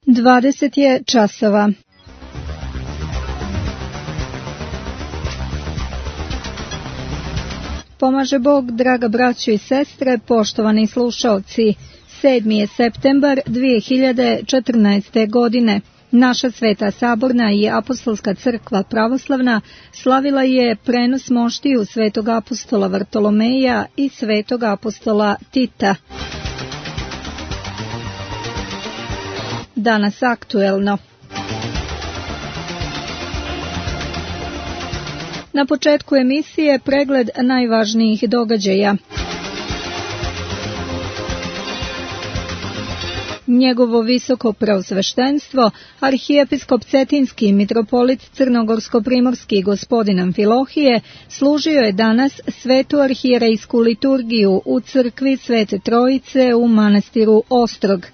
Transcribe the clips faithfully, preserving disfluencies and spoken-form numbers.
dvadeset je časova. Pomaže Bog, draga braćo i sestre, poštovani slušaoci. sedmi je septembar dvije hiljade četrnaeste. godine. Naša Sveta Saborna i Apostolska crkva pravoslavna slavila je prenos moštiju svetog apostola Vartolomeja i svetog apostola Tita. Danas aktuelno. Na početku emisije pregled najvažnijih događaja. Njegovo visoko preosveštenstvo, arhijepiskop Cetinski mitropolit Crnogorsko-primorski gospodin Amfilohije, služio je danas svetu arhijerejsku liturgiju u crkvi Svete Trojice u manastiru Ostrog.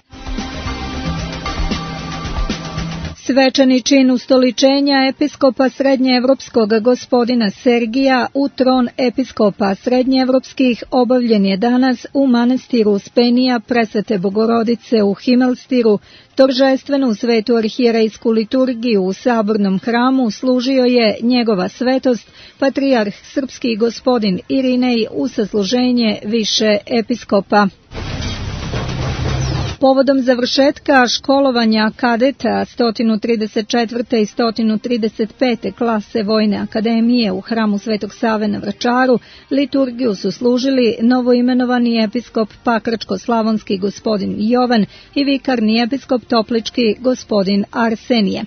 Svečani čin ustoličenja episkopa srednjeevropskog gospodina Sergija u tron episkopa srednjeevropskih obavljen je danas u manastiru Uspenija Presvete Bogorodice u Himelstiru. Торжествenu svetu arhijerejsku liturgiju u sabornom hramu služio je njegova svetost, patrijarh srpski gospodin Irinej u sasluženje više episkopa. Povodom završetka školovanja kadeta sto trideset četvrte i sto trideset pete klase Vojne akademije u hramu Svetog Save na Vračaru, liturgiju su služili novoimenovani episkop Pakračko-slavonski gospodin Jovan i vikarni episkop Toplički gospodin Arsenije.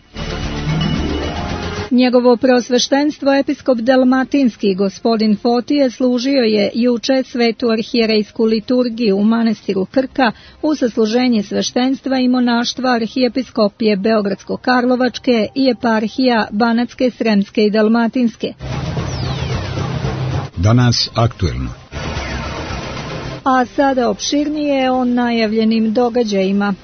Njegovo preosveštenstvo episkop Dalmatinski gospodin Fotije služio je juče svetu arhijerejsku liturgiju u manastiru Krka u sasluženje sveštenstva i monaštva arhijepiskopije Beogradsko-Karlovačke i eparhija Banatske, Sremske i Dalmatinske. Danas aktuelno. A sada opširnije o najavljenim događajima.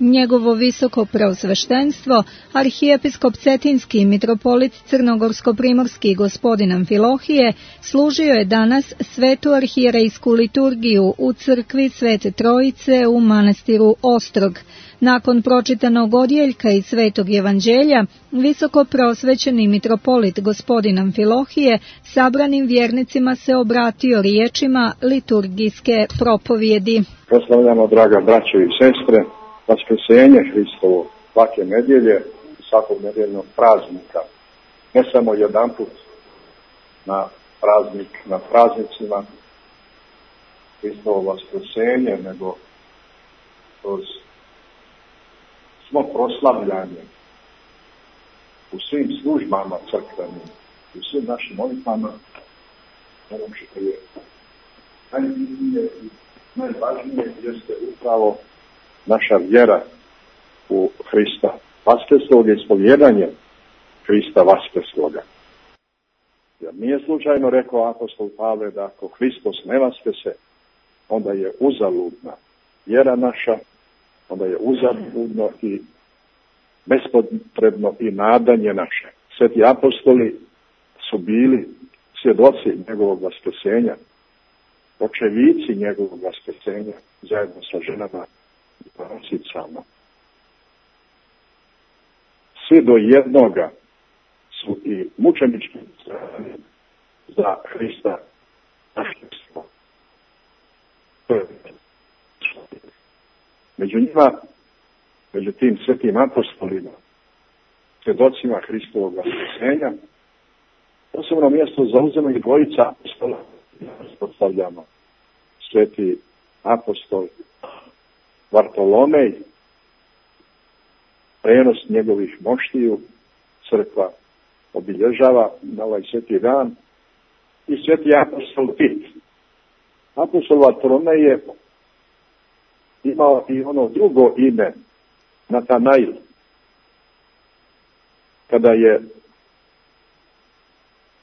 Njegovo visoko preosveštenstvo, arhijepiskop Cetinski mitropolit Crnogorsko-primorski gospodin Amfilohije, služio je danas svetu arhijerejsku liturgiju u crkvi Svete Trojice u manastiru Ostrog. Nakon pročitanog odjeljka iz Svetog evanđelja, visoko preosvećeni mitropolit gospodin Amfilohije sabranim vjernicima se obratio riječima liturgijske propovjedi. Proslavljamo, draga braćo i sestre, Vaskrsenje Hristovo svake nedjelje i svakog nedjeljnog praznika. Ne samo jedanput na praznik, na praznicima Hristovo Vaskrsenje, nego kroz smo proslavljanje u svim službama crkvenim, u svim našim molitvama, ono što je najbitnije i najvažnije jeste upravo naša vjera u Hrista Vaskrsloga i ispovjedanje Hrista Vaskrsloga. Jer nije slučajno rekao apostol Pavle da ako Hristos ne vaskrese, onda je uzaludna vjera naša, onda je uzaludno i bespotrebno i nadanje naše. Sveti apostoli su bili svjedoci njegovog vaskrsenja, očevici njegovog vaskrsenja zajedno sa ženama i prorocicama. Svi do jednoga su i mučenički stradali za Hrista Vaskrslog. Među njima, među tim svetim apostolima, svjedocima Hristovog vaskrsenja, posebno mjesto zauzimaju dvojica apostola. Postavljamo sveti apostol Vartolomej, prenos njegovih moštiju crkva obilježava na ovaj sveti dan, i sveti apostol Tit. Apostol Vartolomej je imao i ono drugo ime, Natanail. Kada je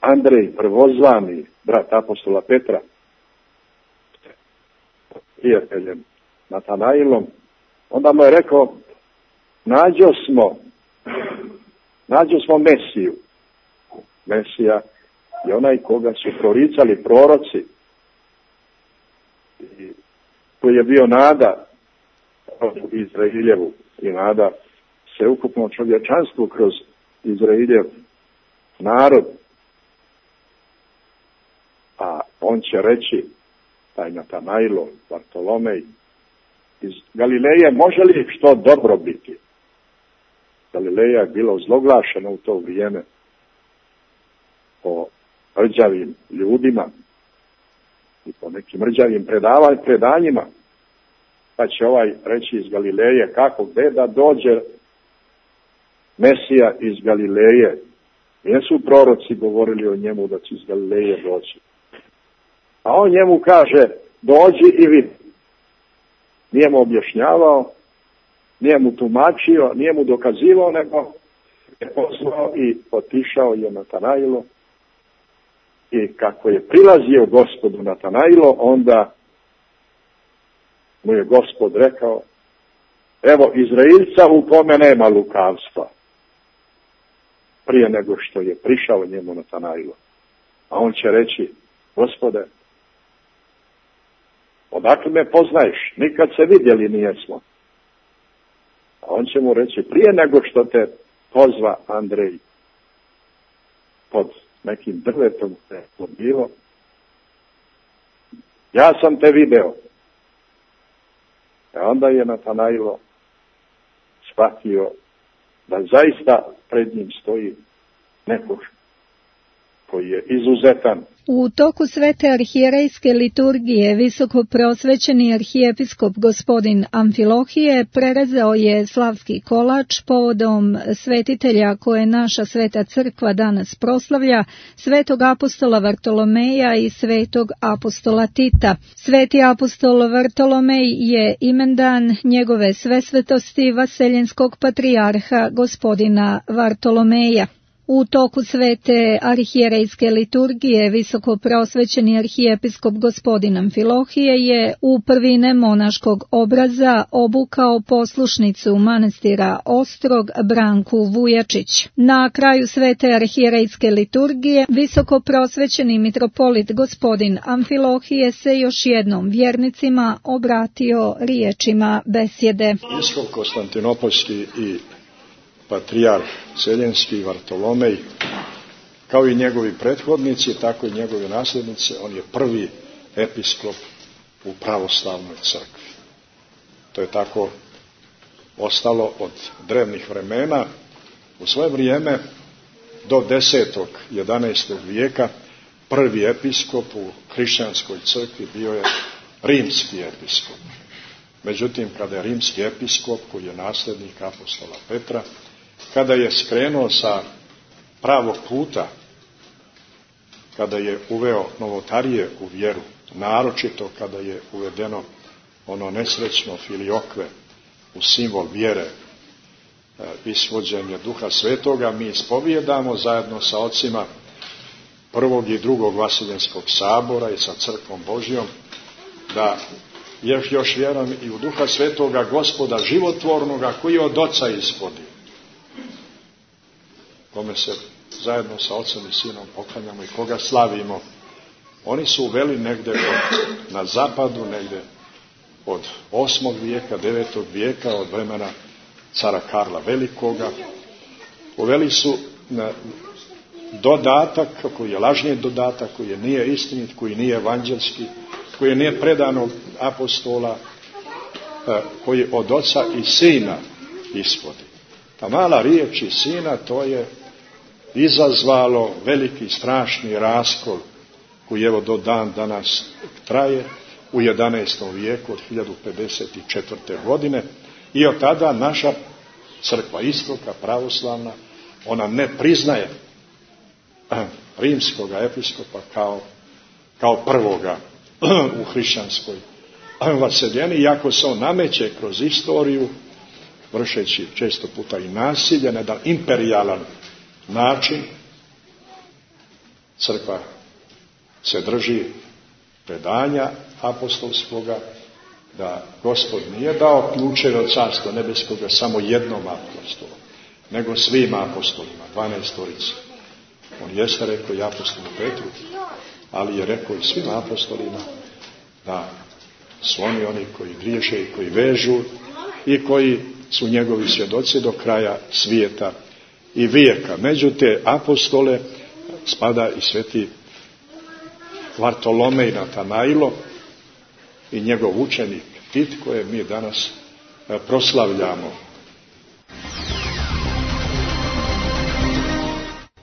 Andrej prvozvani, brat apostola Petra, prijateljem Natanailom, onda mu je rekao, nađo smo, nađo smo Mesiju. Mesija je onaj koga su proricali proroci, i koji je bio nada Izraeljevu i nada se ukupno čovječanstvu kroz Izraeljev narod. A on će reći, taj Natanailo, Bartolomej, iz Galileje može li što dobro biti? Galileja je bila ozloglašena u to vrijeme po rđavim ljudima i po nekim rđavim predanjima. Pa će ovaj reći iz Galileje, kako, gde da dođe Mesija iz Galileje? Nisu proroci govorili o njemu da će iz Galileje doći. A on njemu kaže, dođi i vidi. Nije mu objašnjavao, nije mu tumačio, nije mu dokazivao, nego je poslao i otišao je Natanailo. I kako je prilazio Gospodu Natanailo, onda mu je Gospod rekao, evo Izraelca u kome nema lukavstva. Prije nego što je prišao njemu Natanailo. A on će reći, Gospode, odakle me poznaješ? Nikad se vidjeli nijesmo. A on će mu reći, prije nego što te pozva Andrej pod nekim drvetom te bilo, ja sam te video. A onda je Natanailo shvatio da zaista pred njim stoji neko koji je izuzetan. U toku svete arhijerejske liturgije visoko prosvećeni arhijepiskop gospodin Amfilohije prerezao je slavski kolač povodom svetitelja koje naša sveta crkva danas proslavlja, svetog apostola Vartolomeja i svetog apostola Tita. Sveti apostol Vartolomej je imendan njegove svesvetosti vaseljenskog patrijarha gospodina Vartolomeja. U toku svete arhijerejske liturgije visoko prosvećeni arhijepiskop gospodin Amfilohije je u prvine monaškog obraza obukao poslušnicu manastira Ostrog Branku Vujačić. Na kraju svete arhijerejske liturgije visoko prosvećeni mitropolit gospodin Amfilohije se još jednom vjernicima obratio riječima besjede. Biskop Konstantinopolski i patrijarh Seljenski Vartolomej, kao i njegovi prethodnici, tako i njegove nasljednice, on je prvi episkop u pravoslavnoj crkvi. To je tako ostalo od drevnih vremena. U svoje vrijeme, do desetog, jedanaestog vijeka, prvi episkop u hrišćanskoj crkvi bio je rimski episkop. Međutim, kada je rimski episkop, koji je nasljednik apostola Petra, kada je skrenuo sa pravog puta, kada je uveo novotarije u vjeru, naročito kada je uvedeno ono nesrećno filiokve u simbol vjere, isvođenje Duha Svetoga, mi ispovijedamo zajedno sa ocima prvog i drugog Vaseljenskog sabora i sa crkvom Božjom, da još, još vjerujem i u Duha Svetoga, Gospoda životvornoga, koji od Oca ishodi, kome se zajedno sa Ocem i Sinom poklanjamo i koga slavimo. Oni su uveli negde od, na zapadu, negde od osmog vijeka, devetog vijeka, od vremena cara Karla Velikoga. Uveli su na dodatak, koji je lažni dodatak, koji nije istinit, koji nije evanđelski, koji nije predan od apostola, koji od Oca i Sina ishodi. Ta mala riječ i Sina, to je izazvalo veliki strašni raskol koji evo do dan danas traje u jedanaestom vijeku od hiljadu pedeset četvrte. godine i od tada naša crkva istoka pravoslavna, ona ne priznaje rimskoga episkopa kao, kao prvoga u hrišćanskoj vaseljeni, iako se on nameće kroz istoriju, vršeći često puta i nasilje, na jedan imperijalan način. Crkva se drži predanja apostolskoga, da Gospod nije dao ključeve od carstva nebeskoga samo jednom apostolu, nego svim apostolima, dvanaestorici. On jeste rekao i apostolu Petru, ali je rekao i svim apostolima da su oni oni koji griješe i koji vežu i koji su njegovi svjedoci do kraja svijeta i vijeka. Među te apostole spada i sveti Vartolomej Natanailo i njegov učenik Tit, koje mi danas proslavljamo.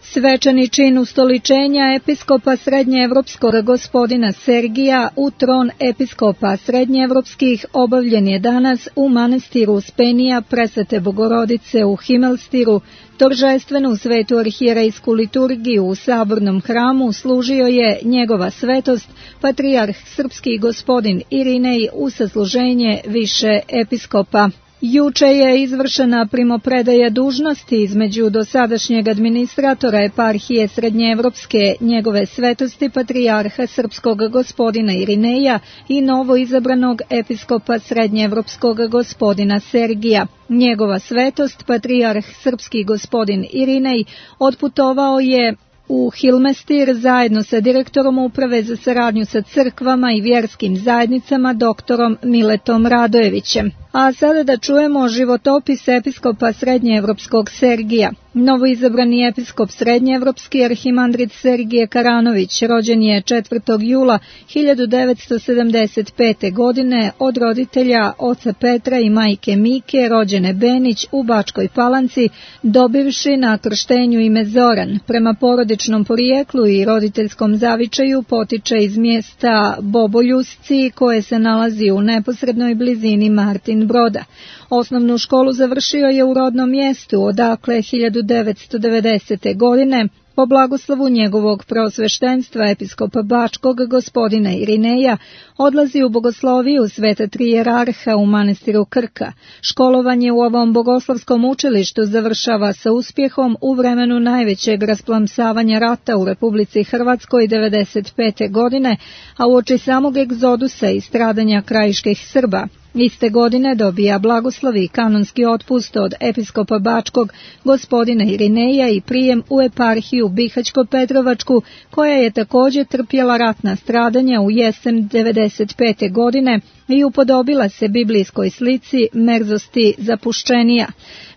Svečani čin ustoličenja episkopa srednjeevropskog gospodina Sergija u tron episkopa srednjeevropskih obavljen je danas u manastiru Uspenija Presvete Bogorodice u Himelstiru. Торжествenu svetu arhijerejsku liturgiju u sabornom hramu služio je njegova svetost, patrijarh srpski gospodin Irinej u sasluženje više episkopa. Juče je izvršena primopredaja dužnosti između dosadašnjeg administratora eparhije Srednjeevropske njegove svetosti patrijarha srpskog gospodina Irineja i novo izabranog episkopa Srednjeevropskog gospodina Sergija. Njegova svetost, patrijarh srpski gospodin Irinej, otputovao je u Hilmestir zajedno sa direktorom uprave za saradnju sa crkvama i vjerskim zajednicama doktorom Miletom Radojevićem. A sada da čujemo životopis episkopa Srednjeevropskog Sergija. Novoizabrani episkop Srednjeevropski arhimandrit Sergije Karanović rođen je četvrtog jula hiljadu devetsto sedamdeset pete. godine od roditelja oca Petra i majke Mike, rođene Benić u Bačkoj Palanci, dobivši na krštenju ime Zoran. Prema porodičnom porijeklu i roditeljskom zavičaju potiče iz mjesta Boboljusci koje se nalazi u neposrednoj blizini Martin Broda. Osnovnu školu završio je u rodnom mjestu, odakle hiljadu devetsto devedesete. godine po blagoslovu njegovog preosveštenstva episkopa Bačkog gospodina Irineja odlazi u bogosloviju Sveta Tri Jerarha u manastiru Krka. Školovanje u ovom bogoslovskom učilištu završava sa uspjehom u vremenu najvećeg rasplamsavanja rata u Republici Hrvatskoj devedeset pete. godine, a uoči samog egzodusa i stradanja krajiških Srba. Iste godine dobija blagoslov i kanonski otpust od episkopa Bačkog gospodina Irineja i prijem u eparhiju Bihaćko-Petrovačku, koja je također trpjela ratna stradanja u jesen devedeset pete. godine i upodobila se biblijskoj slici merzosti zapuščenija.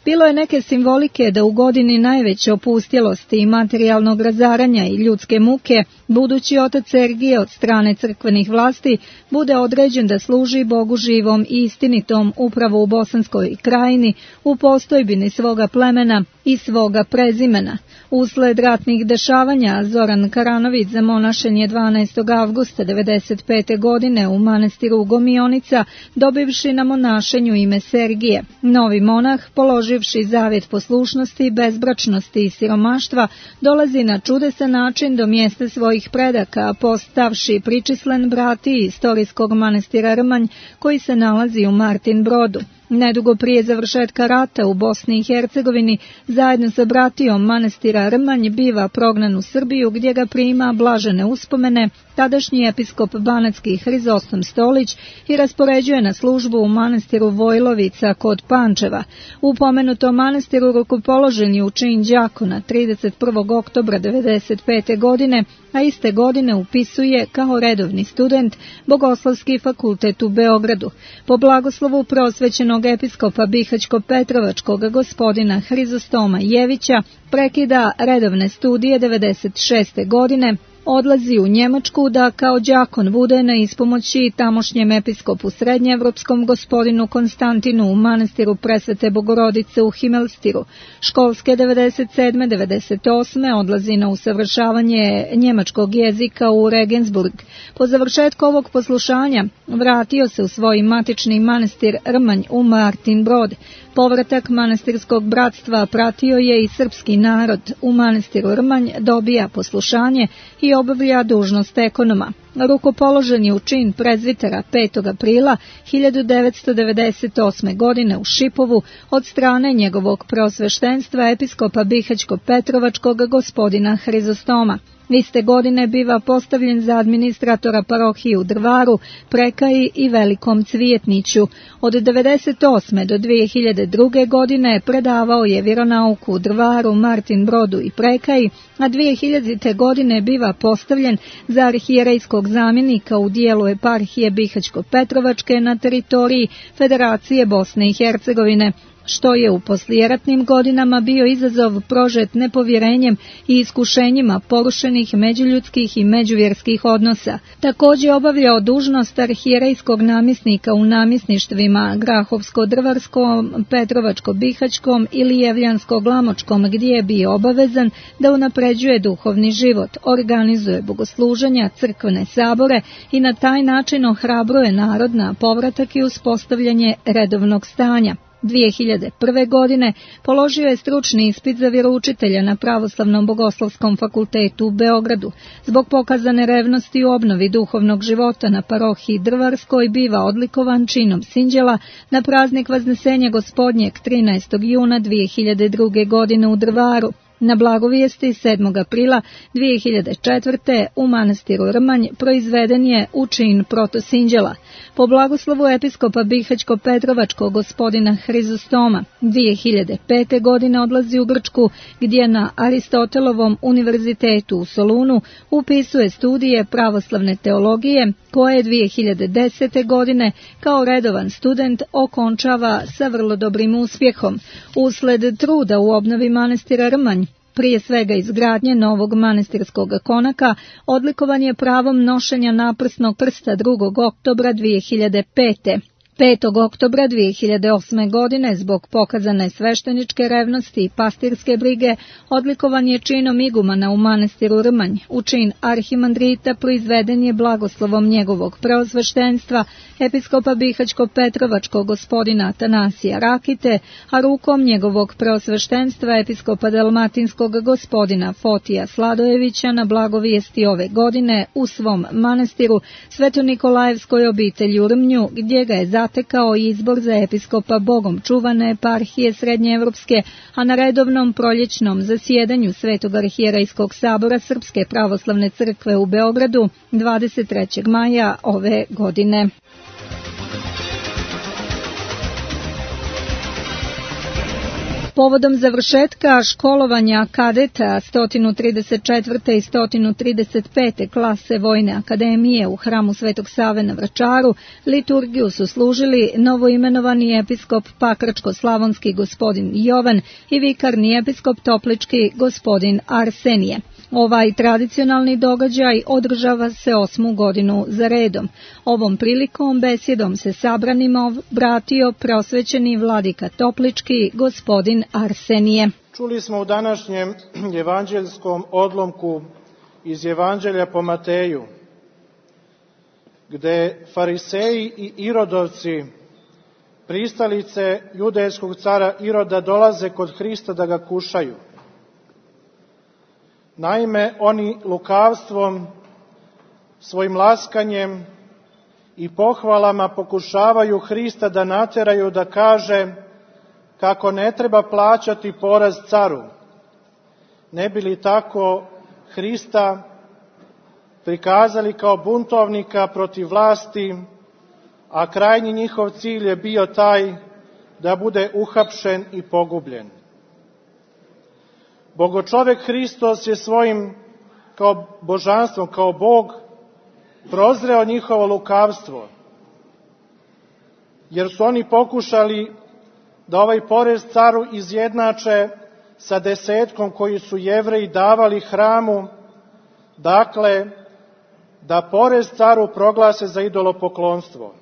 Bilo je neke simbolike da u godini najveće opustjelosti i materijalnog razaranja i ljudske muke, budući otac Sergije od strane crkvenih vlasti bude određen da služi Bogu živom i istinitom upravo u Bosanskoj krajini, u postojbini svoga plemena i svoga prezimena. Usled ratnih dešavanja Zoran Karanović zamonašen je dvanaestog avgusta devedeset pete. godine u manastiru Gomionica, dobivši na monašenju ime Sergije. Novi monah, položivši zavjet poslušnosti, bezbračnosti i siromaštva, dolazi na čudesan način do mjesta svojih predaka, postavši pričislen brati istorijskog manastira Rmanj, koji se nalazi u Martin Brodu. Nedugo prije završetka rata u Bosni i Hercegovini, zajedno sa bratijom manastira Rmanj biva prognan u Srbiju, gdje ga prima blažene uspomene tadašnji episkop banatski Hrizostom Stolić i raspoređuje na službu u manastiru Vojlovica kod Pančeva. U pomenutom manastiru rukopoložen je u čin đakona trideset prvog oktobra devedeset pete. godine, a iste godine upisuje kao redovni student Bogoslovski fakultet u Beogradu. Po blagoslovu prosvećenog episkopa Bihaćko-Petrovačkog gospodina Hrizostoma Jevića prekida redovne studije devedeset šeste. godine, odlazi u Njemačku da kao đakon bude na ispomoći tamošnjem episkopu srednjeevropskom gospodinu Konstantinu u manastiru Presvete Bogorodice u Himelstiru. Školske devedeset sedme devedeset osme. odlazi na usavršavanje njemačkog jezika u Regensburg. Po završetku ovog poslušanja vratio se u svoj matični manastir Rmanj u Martin Brod. Povratak manastirskog bratstva pratio je i srpski narod. U manastiru Rmanj dobija poslušanje i obavlja dužnost ekonoma. Rukopoložen je u čin prezvitera petog aprila hiljadu devetsto devedeset osme. godine u Šipovu od strane njegovog preosveštenstva episkopa Bihaćko-Petrovačkog gospodina Hrizostoma. Iste godine biva postavljen za administratora parohije u Drvaru, Prekaji i Velikom Cvijetniću. Od devedeset osme do dve hiljade druge. godine predavao je vjeronauku u Drvaru, Martin Brodu i Prekaji, a dve hiljadite. godine biva postavljen za arhijerejskog zamjenika u dijelu eparhije Bihaćko-Petrovačke na teritoriji Federacije Bosne i Hercegovine, što je u poslijeratnim godinama bio izazov prožet nepovjerenjem i iskušenjima porušenih međuljudskih i međuvjerskih odnosa. Također obavljao dužnost arhijerejskog namjesnika u namjesništvima Grahovsko-Drvarskom, Petrovačko-Bihaćkom ili Jevljansko-Glamočkom, gdje je bio obavezan da unapređuje duhovni život, organizuje bogosluženja, crkvene sabore i na taj način ohrabruje narod na povratak i uspostavljanje redovnog stanja. dve hiljade prve. godine položio je stručni ispit za vjeroučitelja na Pravoslavnom bogoslovskom fakultetu u Beogradu. Zbog pokazane revnosti u obnovi duhovnog života na parohiji Drvarskoj biva odlikovan činom sinđela na praznik Vaznesenja Gospodnjeg trinaestog juna dve hiljade druge. godine u Drvaru. Na blagovijesti sedmog aprila dve hiljade četvrte. u manastiru Rmanj proizveden je u čin protosinđela. Po blagoslovu episkopa Bihaćko-Petrovačkog gospodina Hrizostoma dve hiljade pete. godine odlazi u Grčku, gdje na Aristotelovom univerzitetu u Solunu upisuje studije pravoslavne teologije, koje dve hiljade desete. godine kao redovan student okončava sa vrlo dobrim uspjehom. Usled truda u obnovi manastira Rmanj, prije svega izgradnje novog manastirskog konaka, odlikovan je pravom nošenja naprsnog prsta drugog oktobra dve hiljade pete. petog oktobra dve hiljade osme. godine zbog pokazane svešteničke revnosti i pastirske brige odlikovan je činom igumana u manastiru Rmanj. U čin arhimandrita proizveden je blagoslovom njegovog preosveštenstva episkopa Bihaćko-Petrovačkog gospodina Atanasija Rakite, a rukom njegovog preosveštenstva episkopa Dalmatinskog gospodina Fotija Sladojevića na blagovijesti ove godine u svom manastiru Sveto-Nikolajevskoj obitelji u Rmnju, gdje ga je zatekao izbor za episkopa Bogom čuvane eparhije Srednjeevropske, a na redovnom proljećnom zasjedanju Svetog arhijerejskog sabora Srpske pravoslavne crkve u Beogradu dvadeset trećeg maja ove godine. Povodom završetka školovanja kadeta sto trideset četvrte. i sto trideset pete. klase Vojne akademije u hramu Svetog Save na Vračaru, liturgiju su služili novoimenovani episkop Pakračko-slavonski gospodin Jovan i vikarni episkop Toplički gospodin Arsenije. Ovaj tradicionalni događaj održava se osmu godinu za redom. Ovom prilikom besjedom se sabranima obratio preosvećeni vladika Toplički gospodin Arsenije. Čuli smo u današnjem evanđeljskom odlomku iz Evanđelja po Mateju, gde fariseji i irodovci, pristalice judejskog cara Iroda, dolaze kod Hrista da ga kušaju. Naime, oni lukavstvom, svojim laskanjem i pohvalama pokušavaju Hrista da nateraju da kaže kako ne treba plaćati porez caru. Ne bi li tako Hrista prikazali kao buntovnika protiv vlasti, a krajnji njihov cilj je bio taj da bude uhapšen i pogubljen. Bogočovek Hristos je svojim kao božanstvom, kao Bog, prozreo njihovo lukavstvo, jer su oni pokušali da ovaj porez caru izjednače sa desetkom koji su Jevreji davali hramu, dakle, da porez caru proglase za idolopoklonstvo.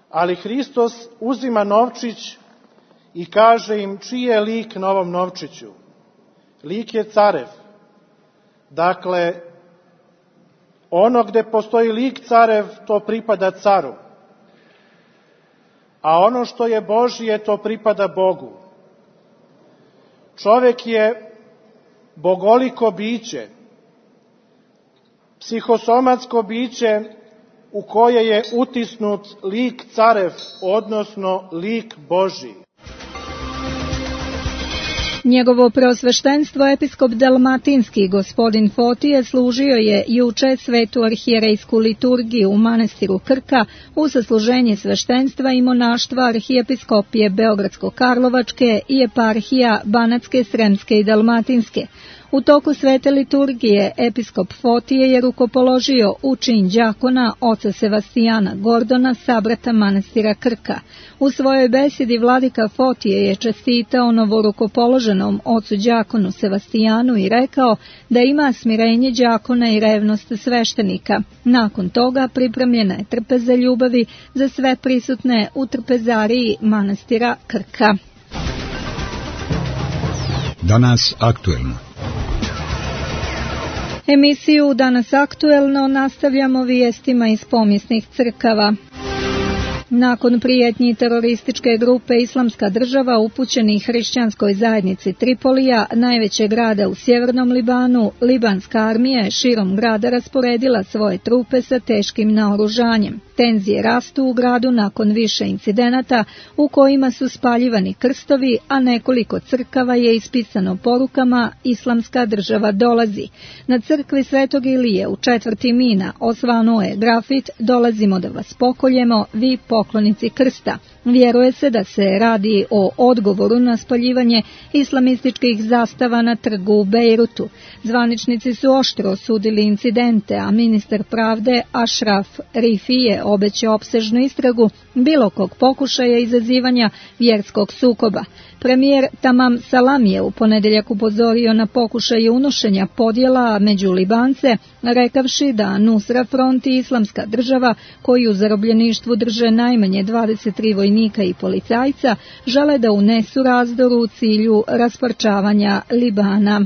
Ali Hristos uzima novčić i kaže im čiji je lik na ovom novčiću. Lik je carev. Dakle, ono gde postoji lik carev, to pripada caru. A ono što je Božje, to pripada Bogu. Čovek je bogoliko biće, psihosomatsko biće u koje je utisnut lik carev, odnosno lik Božji. Njegovo preosveštenstvo episkop Dalmatinski gospodin Fotije služio je juče svetu arhijerejsku liturgiju u manastiru Krka u sasluženje sveštenstva i monaštva arhijepiskopije Beogradsko-Karlovačke i eparhija Banatske, Sremske i Dalmatinske. U toku svete liturgije episkop Fotije je rukopoložio u čin đakona oca Sevastijana Gordona, sabrata manastira Krka. U svojoj besedi vladika Fotije je čestitao novorukopoloženom ocu đakonu Sevastijanu i rekao da ima smirenje đakona i revnost sveštenika. Nakon toga pripremljena je trpeza ljubavi za sve prisutne u trpezariji manastira Krka. Danas aktuelno. Emisiju Danas aktuelno nastavljamo vijestima iz pomijesnih crkava. Nakon prijetnji terorističke grupe Islamska država upućenih hrišćanskoj zajednici Tripolija, najvećeg grada u sjevernom Libanu, libanska armija je širom grada rasporedila svoje trupe sa teškim naoružanjem. Tenzije rastu u gradu nakon više incidenata u kojima su spaljivani krstovi, a nekoliko crkava je ispisano porukama Islamska država dolazi. Na crkvi Svetog Ilije u četvrti Mina osvanuo je grafit "Dolazimo da vas pokoljemo, vi poklonici krsta". Vjeruje se da se radi o odgovoru na spaljivanje islamističkih zastava na trgu u Bejrutu. Zvaničnici su oštro osudili incidente, a ministar pravde Ashraf Rifi je obećao opsežnu istragu bilo kog pokušaja izazivanja vjerskog sukoba. Premijer Tamam Salam je u ponedjeljak upozorio na pokušaje unošenja podjela među Libance, rekavši da Nusra Front i Islamska država, koji u zarobljeništvu drže najmanje dvadeset tri vojnika i policajca, žele da unesu razdor u cilju rasparčavanja Libana.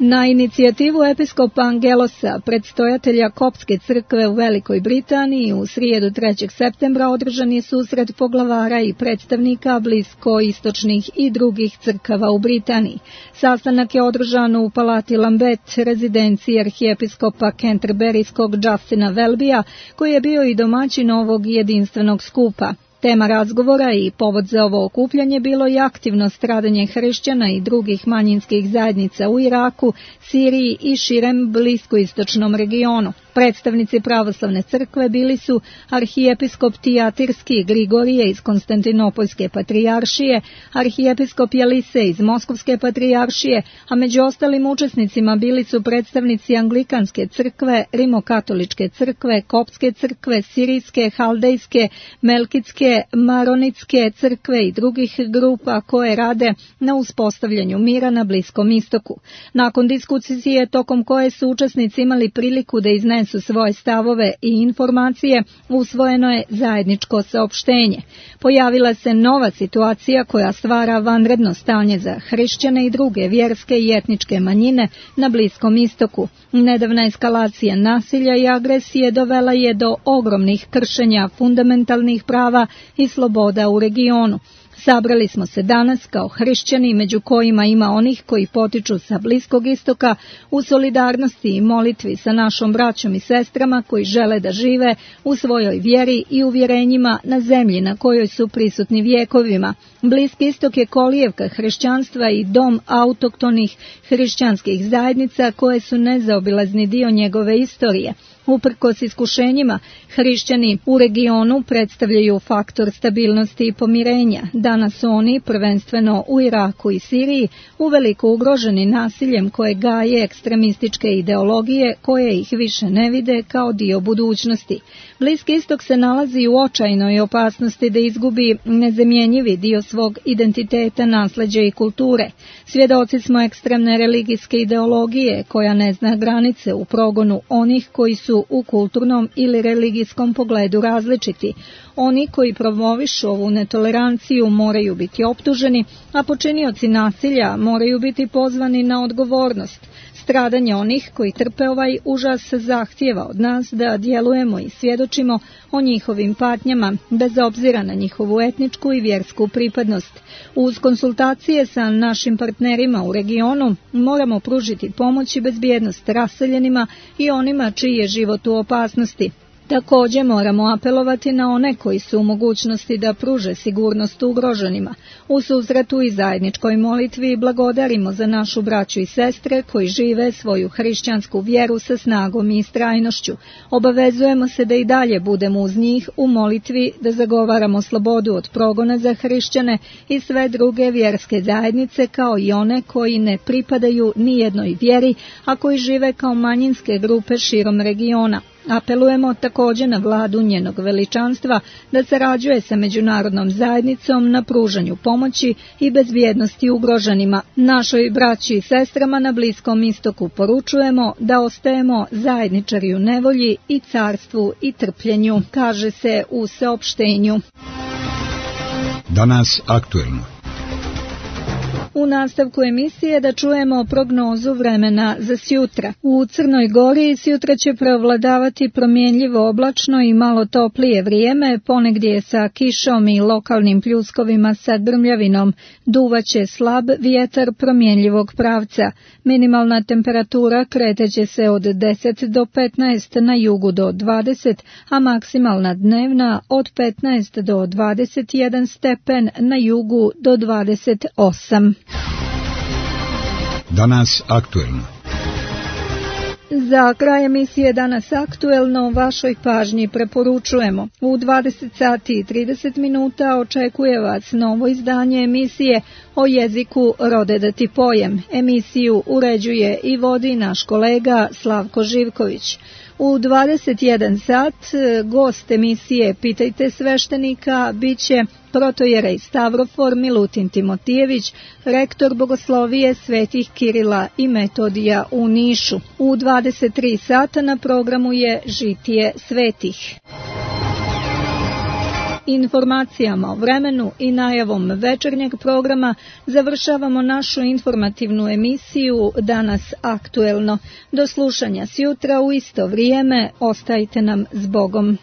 Na inicijativu episkopa Angelosa, predstojatelja Koptske crkve u Velikoj Britaniji, u srijedu trećeg septembra održan je susret poglavara i predstavnika bliskoistočnih i drugih crkava u Britaniji. Sastanak je održan u Palati Lambeth, rezidenciji arhijepiskopa Canterburyskog Justina Welbya, koji je bio i domaćin ovog jedinstvenog skupa. Tema razgovora i povod za ovo okupljanje bilo je aktivno stradanje hrišćana i drugih manjinskih zajednica u Iraku, Siriji i širem bliskoistočnom regionu. Predstavnici pravoslavne crkve bili su arhijepiskop Tijatirski Grigorije iz Konstantinopoljske patrijaršije, arhijepiskop Jalise iz Moskovske patrijaršije, a među ostalim učesnicima bili su predstavnici Anglikanske crkve, Rimokatoličke crkve, Koptske crkve, Sirijske, Haldejske, Melkitske, Maronitske crkve i drugih grupa koje rade na uspostavljanju mira na Bliskom istoku. Nakon diskusije tokom koje su učesnici imali priliku da iznesu svoje stavove i informacije, usvojeno je zajedničko saopštenje. Pojavila se nova situacija koja stvara vanredno stanje za hrišćane i druge vjerske i etničke manjine na Bliskom istoku. Nedavna eskalacija nasilja i agresije dovela je do ogromnih kršenja fundamentalnih prava i sloboda u regionu. Sabrali smo se danas kao hrišćani, među kojima ima onih koji potiču sa Bliskog istoka, u solidarnosti i molitvi sa našom braćom i sestrama koji žele da žive u svojoj vjeri i uvjerenjima na zemlji na kojoj su prisutni vjekovima. Bliski istok je kolijevka hrišćanstva i dom autoktonih hrišćanskih zajednica koje su nezaobilazni dio njegove istorije. Uprkos iskušenjima, hrišćani u regionu predstavljaju faktor stabilnosti i pomirenja. Danas su oni, prvenstveno u Iraku i Siriji, uveliko ugroženi nasiljem koje gaje ekstremističke ideologije koje ih više ne vide kao dio budućnosti. Bliski istok se nalazi u očajnoj opasnosti da izgubi nezamjenjivi dio svog identiteta, nasleđa i kulture. Svjedoci smo ekstremne religijske ideologije koja ne zna granice u progonu onih koji su u kulturnom ili religijskom pogledu različiti. Oni koji promovišu ovu netoleranciju moraju biti optuženi, a počinioci nasilja moraju biti pozvani na odgovornost. Stradanje onih koji trpe ovaj užas zahtijeva od nas da djelujemo i svjedočimo o njihovim patnjama, bez obzira na njihovu etničku i vjersku pripadnost. Uz konsultacije sa našim partnerima u regionu moramo pružiti pomoć i bezbjednost raseljenima i onima čiji je život u opasnosti. Također moramo apelovati na one koji su u mogućnosti da pruže sigurnost ugroženima. U susretu i zajedničkoj molitvi blagodarimo za našu braću i sestre koji žive svoju hrišćansku vjeru sa snagom i istrajnošću. Obavezujemo se da i dalje budemo uz njih u molitvi, da zagovaramo slobodu od progona za hrišćane i sve druge vjerske zajednice, kao i one koji ne pripadaju ni jednoj vjeri, a koji žive kao manjinske grupe širom regiona. Apelujemo također na vladu njenog veličanstva da sarađuje sa međunarodnom zajednicom na pružanju pomoći i bezbjednosti ugroženima. Našoj braći i sestrama na Bliskom istoku poručujemo da ostajemo zajedničari u nevolji i carstvu i trpljenju, kaže se u saopštenju. Danas aktuelno. U nastavku emisije da čujemo prognozu vremena za sjutra. U Crnoj Gori sjutra će preovladavati promjenljivo oblačno i malo toplije vrijeme, ponegdje sa kišom i lokalnim pljuskovima sa grmljavinom. Duvaće slab vjetar promjenljivog pravca. Minimalna temperatura kreteće se od deset do petnaest, na jugu do dvadeset, a maksimalna dnevna od petnaest do dvadeset jedan stepen, na jugu do dvadeset osam. Danas aktuelno. Za kraj emisije Danas aktuelno vašoj pažnji preporučujemo. U dvadeset sati i trideset minuta očekuje vas novo izdanje emisije o jeziku Rode da ti pojem. Emisiju uređuje i vodi naš kolega Slavko Živković. U dvadeset jedan sat gost emisije Pitajte sveštenika biće protojerej Stavrofor Milutin Timotijević, rektor Bogoslovije Svetih Kirila i Metodija u Nišu. U dvadeset tri sata na programu je Žitije svetih. Informacijama o vremenu i najavom večernjeg programa završavamo našu informativnu emisiju Danas aktuelno. Do slušanja sjutra u isto vrijeme, ostajte nam s Bogom.